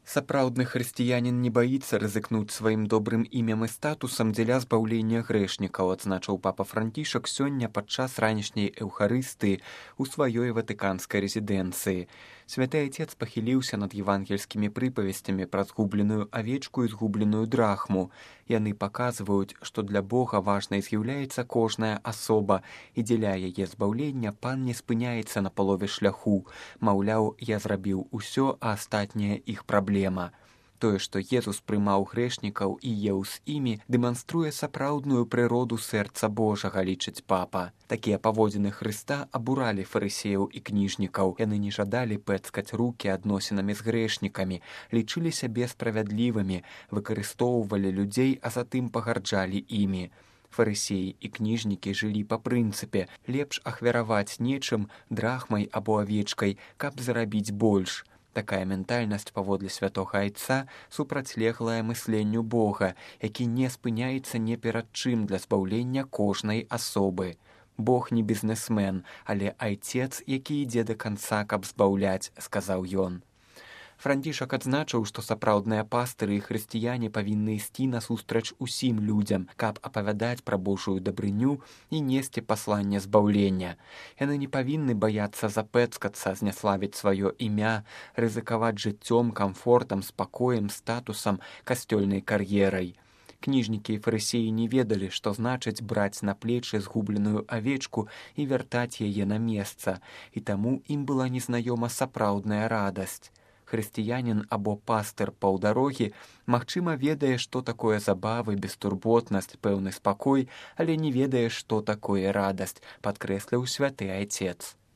Сапраўдны хрысціянін не баіцца рызыкнуць сваім добрым імем і статусам дзеля збаўлення грэшнікаў, адзначыў папа Францішак сёння падчас ранішняй эўхарыстыі ў сваёй ватыканскай рэзідэнцыі. Святы Айцец пахіліўся над евангельскімі прыпавесцямі пра згубленую авечку і згубленую драхму. Яны паказваюць, што для Бога важнай з'яўляецца кожная асоба, і дзеля яе збаўлення пан не спыняецца на палове шляху. Маўляў, я зрабіў усё, а астатняе іх праблема. Тое, што Езус прымаў грэшнікаў і еў з імі, дэманструе сапраўдную прыроду сэрца Божага, лічыць папа. Такія паводзіны Хрыста абуралі фарысеяў і кніжнікаў. Яны не жадалі пэцкаць рукі адносінамі з грэшнікамі, лічылі сябе справядлівымі, выкарыстоўвалі людзей, а затым пагарджалі імі. Фарысеі і кніжнікі жылі па прынцыпе лепш ахвяраваць нечым, драхмай або авечкай, каб зарабіць больш. Такая ментальнасць, паводле святога Айца, супрацьлеглая мысленню Бога, які не спыняецца ні перад чым для збаўлення кожнай асобы. Бог не бізнесмен, але Айцец, які ідзе да канца, каб збаўляць, сказаў ён. Францішак адзначыў, што сапраўдныя пастыры і хрысціяне павінны ісці насустрач усім людзям, каб апавядаць пра Божую дабрыню і несці пасланне збаўлення. Яны не павінны баяцца запэцкацца, зняславіць сваё імя, рызыкаваць жыццём, камфортам, спакоем, статусам, касцёльнай кар'ерай. Кніжнікі і фарысеі не ведалі, што значыць браць на плечы згубленую авечку і вяртаць яе на месца, і таму ім была незнаёма сапраўдная радасць. Хрысціянін або пастыр паўдарогі, магчыма, ведае, што такое забавы, бестурботнасць, пэўны спакой, але не ведае, што такое радасць, падкрэсліў святы Айцец.